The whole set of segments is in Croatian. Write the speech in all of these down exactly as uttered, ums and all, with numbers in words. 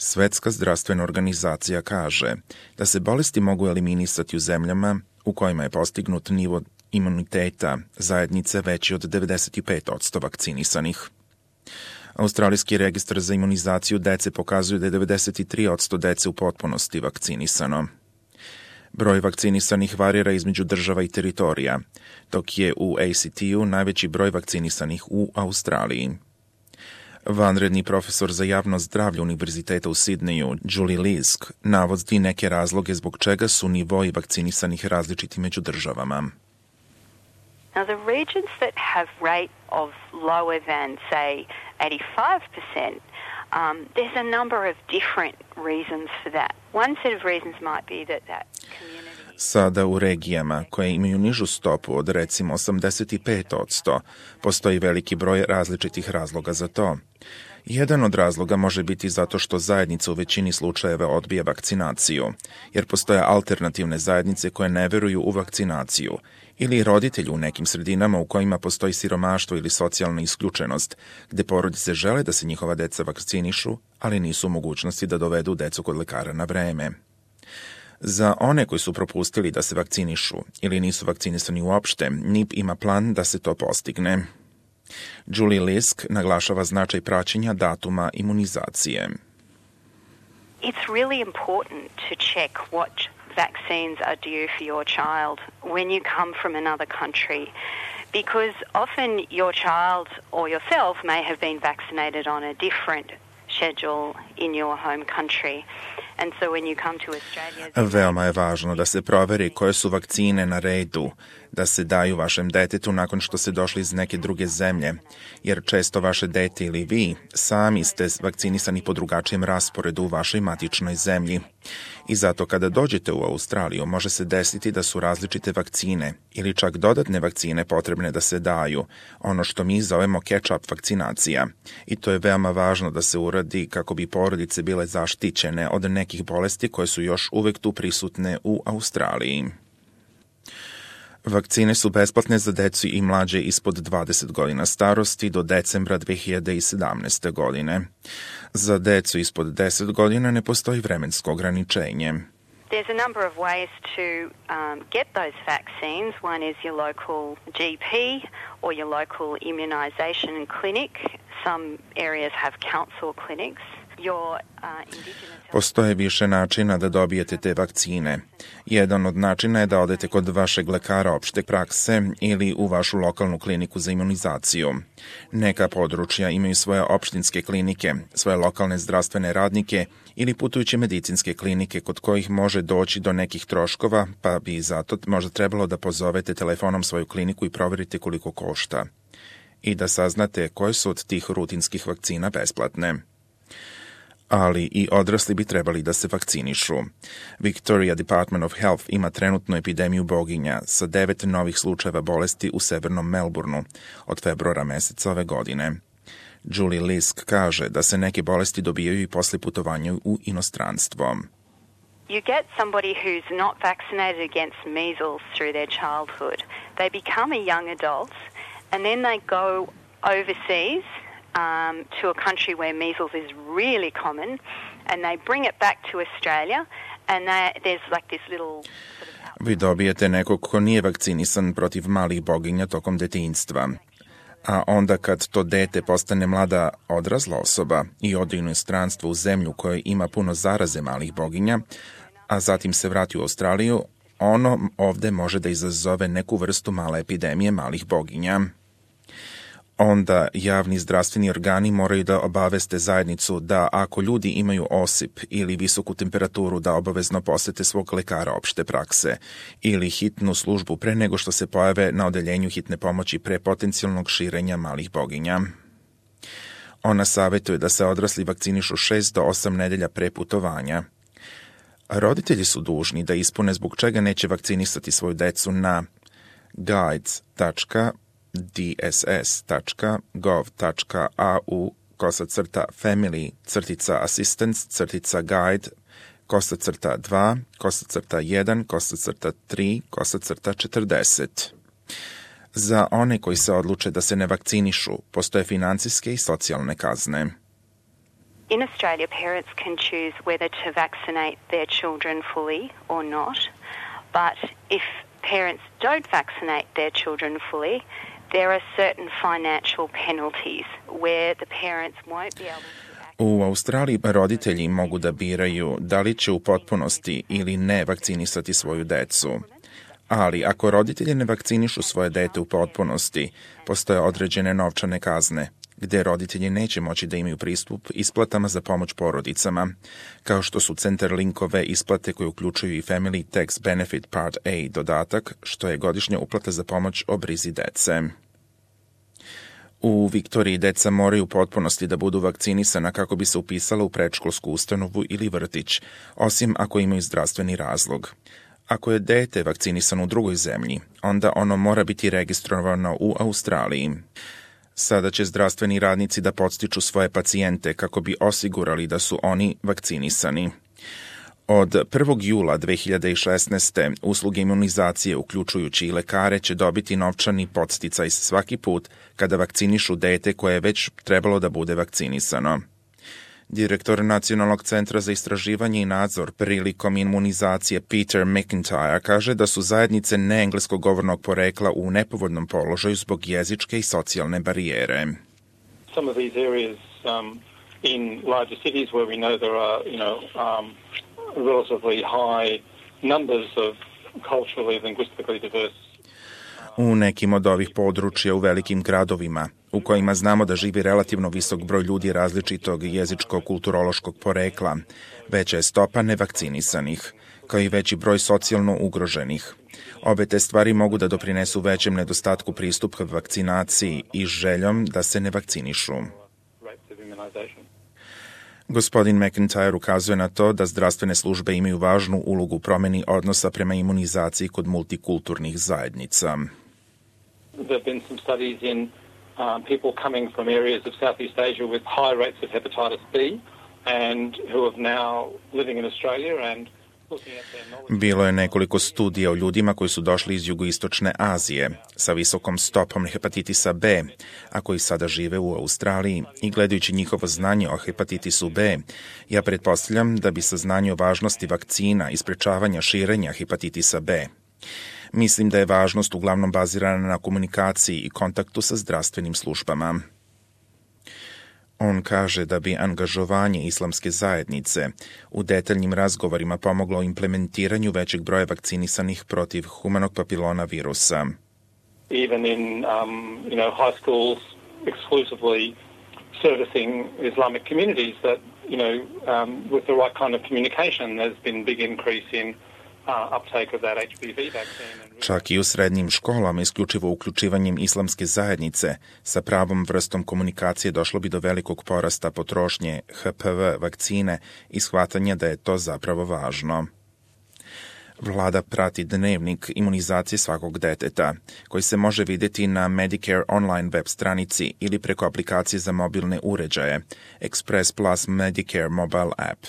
Svetska zdravstvena organizacija kaže da se bolesti mogu eliminisati u zemljama u kojima je postignut nivo imuniteta zajednice veći od devedeset pet posto vakcinisanih. Australijski registar za imunizaciju dece pokazuje da je devedeset tri posto dece u potpunosti vakcinisano. Broj vakcinisanih varira između država i teritorija, dok je u A C T-u najveći broj vakcinisanih u Australiji. Vanredni profesor za javno zdravlje Univerziteta u Sidneju, Julie Lisk, navodi neke razloge zbog čega su nivoi vakcinisanih različiti među državama. Now, the regions that have rate of lower than, say, eighty-five percent, um, there's a number of different reasons for that. One set of reasons might be that that community... Sada u regijama koje imaju nižu stopu od recimo osamdeset pet posto postoji veliki broj različitih razloga za to. Jedan od razloga može biti zato što zajednica u većini slučajeva odbija vakcinaciju, jer postoje alternativne zajednice koje ne veruju u vakcinaciju, ili roditelji u nekim sredinama u kojima postoji siromaštvo ili socijalna isključenost, gde porodice žele da se njihova deca vakcinišu, ali nisu u mogućnosti da dovedu decu kod lekara na vreme. Za one koji su propustili da se vakcinišu ili nisu vakcinisani uopšte, N I P ima plan da se to postigne. Julie Lisk naglašava značaj praćenja datuma imunizacije. It's really important to check what vaccines are due for your child when you come from another country, because often your child or yourself may have been vaccinated on a different schedule in your home country. And so when you come to Australia... Veoma je važno da se proveri koje su vakcine na redu da se daju vašem detetu nakon što ste došli iz neke druge zemlje, jer često vaše dete ili vi sami ste vakcinisani po drugačijem rasporedu u vašoj matičnoj zemlji. I zato kada dođete u Australiju može se desiti da su različite vakcine ili čak dodatne vakcine potrebne da se daju, ono što mi zovemo catch-up vakcinacija. I to je veoma važno da se uradi kako bi porodice bile zaštićene od nekih bolesti koje su još uvek tu prisutne u Australiji. Vakcine su besplatne za decu i mlađe ispod dvadeset godina starosti do decembra dve hiljade sedamnaeste. godine. Za decu ispod deset godina ne postoji vremensko ograničenje. There's a number of ways to um, get those vaccines. One is your local G P or your local immunisation clinic. Some areas have council clinics. Your, uh, indigenous... Postoje više načina da dobijete te vakcine. Jedan od načina je da odete kod vašeg lekara opšte prakse ili u vašu lokalnu kliniku za imunizaciju. Neka područja imaju svoje opštinske klinike, svoje lokalne zdravstvene radnike ili putujuće medicinske klinike kod kojih može doći do nekih troškova, pa bi zato možda trebalo da pozovete telefonom svoju kliniku i proverite koliko košta. I da saznate koje su od tih rutinskih vakcina besplatne. Ali i odrasli bi trebali da se vakcinišu. Victoria Department of Health ima trenutnu epidemiju boginja sa devet novih slučajeva bolesti u severnom Melbourneu od februara meseca ove godine. Julie Lisk kaže da se neke bolesti dobijaju i posle putovanja u inostranstvo. You get somebody who's not vaccinated against measles through their childhood. They become a young adult and then they go overseas Um, to a country where measles is really common, and they bring it back to Australia, and they, there's like this little... Sort of... Vi dobijete nekog ko nije vakcinisan protiv malih boginja tokom detinjstva. A onda kad to dete postane mlada odrasla osoba i ode u inostranstvo u zemlju koja ima puno zaraze malih boginja, a zatim se vrati u Australiju, ono ovde može da izazove neku vrstu male epidemije malih boginja. Onda javni zdravstveni organi moraju da obaveste zajednicu da ako ljudi imaju osip ili visoku temperaturu da obavezno posete svog lekara opšte prakse ili hitnu službu pre nego što se pojave na odeljenju hitne pomoći pre potencijalnog širenja malih boginja. Ona savjetuje da se odrasli vakcinišu šest do osam nedelja pre putovanja. Roditelji su dužni da ispune zbog čega neće vakcinisati svoju decu na guides dot d s s dot gov dot a u kosa crta family crtica assistance crtica guide kosa crta dva kosa crta jedan kosa crta tri kosa crta četrdeset. Za one koji se odluče da se ne vakcinišu, postoje financijske i socijalne kazne. In Australia, parents can choose whether to vaccinate their children fully or not, but if parents don't vaccinate their children fully, there are certain financial penalties where the parents won't be able to... U Australiji roditelji mogu da biraju da li će u potpunosti ili ne vakcinisati svoju decu. Ali ako roditelji ne vakcinišu svoje dete u potpunosti, postoje određene novčane kazne, gde roditelji neće moći da imaju pristup isplatama za pomoć porodicama, kao što su Centrelinkove isplate koje uključuju i Family Tax Benefit Part A dodatak, što je godišnja uplata za pomoć o brizi dece. U Viktoriji deca moraju u potpunosti da budu vakcinisana kako bi se upisala u predškolsku ustanovu ili vrtić, osim ako imaju zdravstveni razlog. Ako je dete vakcinisano u drugoj zemlji, onda ono mora biti registrovano u Australiji. Sada će zdravstveni radnici da podstiču svoje pacijente kako bi osigurali da su oni vakcinisani. Od prvog jula dve hiljade šesnaeste. usluge imunizacije, uključujući i lekare, će dobiti novčani podsticaj svaki put kada vakcinišu dete koje je već trebalo da bude vakcinisano. Direktor Nacionalnog centra za istraživanje i nadzor prilikom imunizacije Peter McIntyre kaže da su zajednice neengleskog govornog porekla u nepovoljnom položaju zbog jezičke i socijalne barijere. Some of these areas um, in larger cities where we know there are, you know, um, relatively high numbers of culturally, linguistically diverse. U nekim od ovih područja u velikim gradovima, u kojima znamo da živi relativno visok broj ljudi različitog jezičko-kulturološkog porekla, veća je stopa nevakcinisanih, kao i veći broj socijalno ugroženih. Obe te stvari mogu da doprinesu većem nedostatku pristupa vakcinaciji i željom da se ne vakcinišu. Gospodin McIntyre ukazuje na to da zdravstvene službe imaju važnu ulogu u promeni odnosa prema imunizaciji kod multikulturnih zajednica. There have been some studies in um, people coming from areas of Southeast Asia with high rates of hepatitis B and who are now living in Australia and Bilo je nekoliko studija o ljudima koji su došli iz jugoistočne Azije sa visokom stopom hepatitisa B, a koji sada žive u Australiji, i gledajući njihovo znanje o hepatitisu B, ja pretpostavljam da bi saznanje o važnosti vakcina i sprečavanja širenja hepatitisa B. Mislim da je važnost uglavnom bazirana na komunikaciji i kontaktu sa zdravstvenim službama. On kaže da bi angažovanje islamske zajednice u detaljnim razgovorima pomoglo implementiranju većeg broja vakcinisanih protiv humanog papilona virusa. Even in um, you know, high schools exclusively servicing Islamic communities that, you know, um, with the right kind of communication there's been big increase in Čak i u srednjim školama, isključivo uključivanjem islamske zajednice, sa pravom vrstom komunikacije došlo bi do velikog porasta potrošnje H P V vakcine i shvatanja da je to zapravo važno. Vlada prati dnevnik imunizacije svakog deteta, koji se može vidjeti na Medicare online web stranici ili preko aplikacije za mobilne uređaje, Express Plus Medicare mobile app.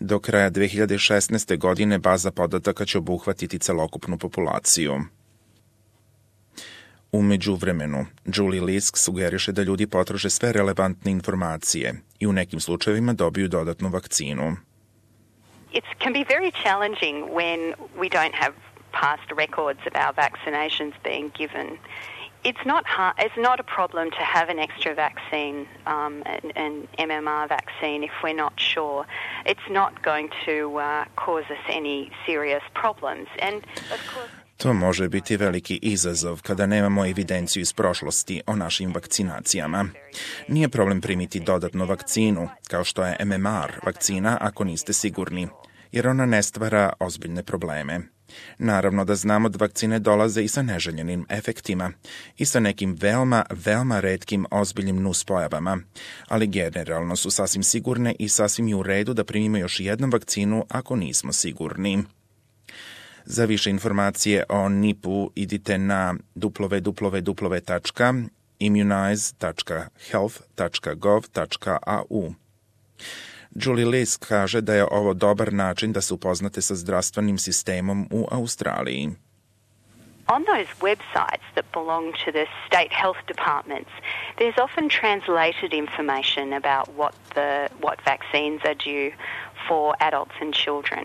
Do kraja dve hiljade šesnaeste. godine baza podataka će obuhvatiti celokupnu populaciju. U međuvremenu, Julie Lisk sugeriše da ljudi potraže sve relevantne informacije i u nekim slučajevima dobiju dodatnu vakcinu. It can be very challenging when we don't have past records of our vaccinations being given. It's not hard, it's not a problem to have an extra vaccine, um, an, an M M R vaccine, if we're not sure. It's not going to uh, cause us any serious problems. And of course, to može biti veliki izazov kada nemamo evidenciju iz prošlosti o našim vakcinacijama. Nije problem primiti dodatnu vakcinu, kao što je M M R vakcina, ako niste sigurni, jer ona ne stvara ozbiljne probleme. Naravno da znamo da vakcine dolaze i sa neželjenim efektima i sa nekim veoma, veoma retkim ozbiljnim nuspojavama, ali generalno su sasvim sigurne i sasvim je u redu da primimo još jednu vakcinu ako nismo sigurni. Za više informacije o N I P-u idite na w w w tačka immunize tačka health tačka gov tačka a u. Julie Lisk kaže da je ovo dobar način da se upoznate sa zdravstvenim sistemom u Australiji. On those websites that belong to the state health departments, there's often translated information about what the what vaccines are due for adults and children.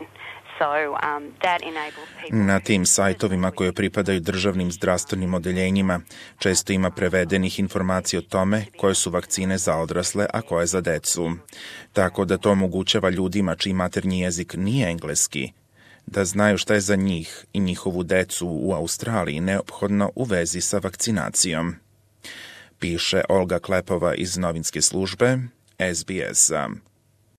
So, um, that enables people... Na tim sajtovima koje pripadaju državnim zdravstvenim odeljenjima često ima prevedenih informacija o tome koje su vakcine za odrasle, a koje za decu. Tako da to omogućava ljudima čiji maternji jezik nije engleski da znaju šta je za njih i njihovu decu u Australiji neophodno u vezi sa vakcinacijom. Piše Olga Klepova iz novinske službe S B S-a.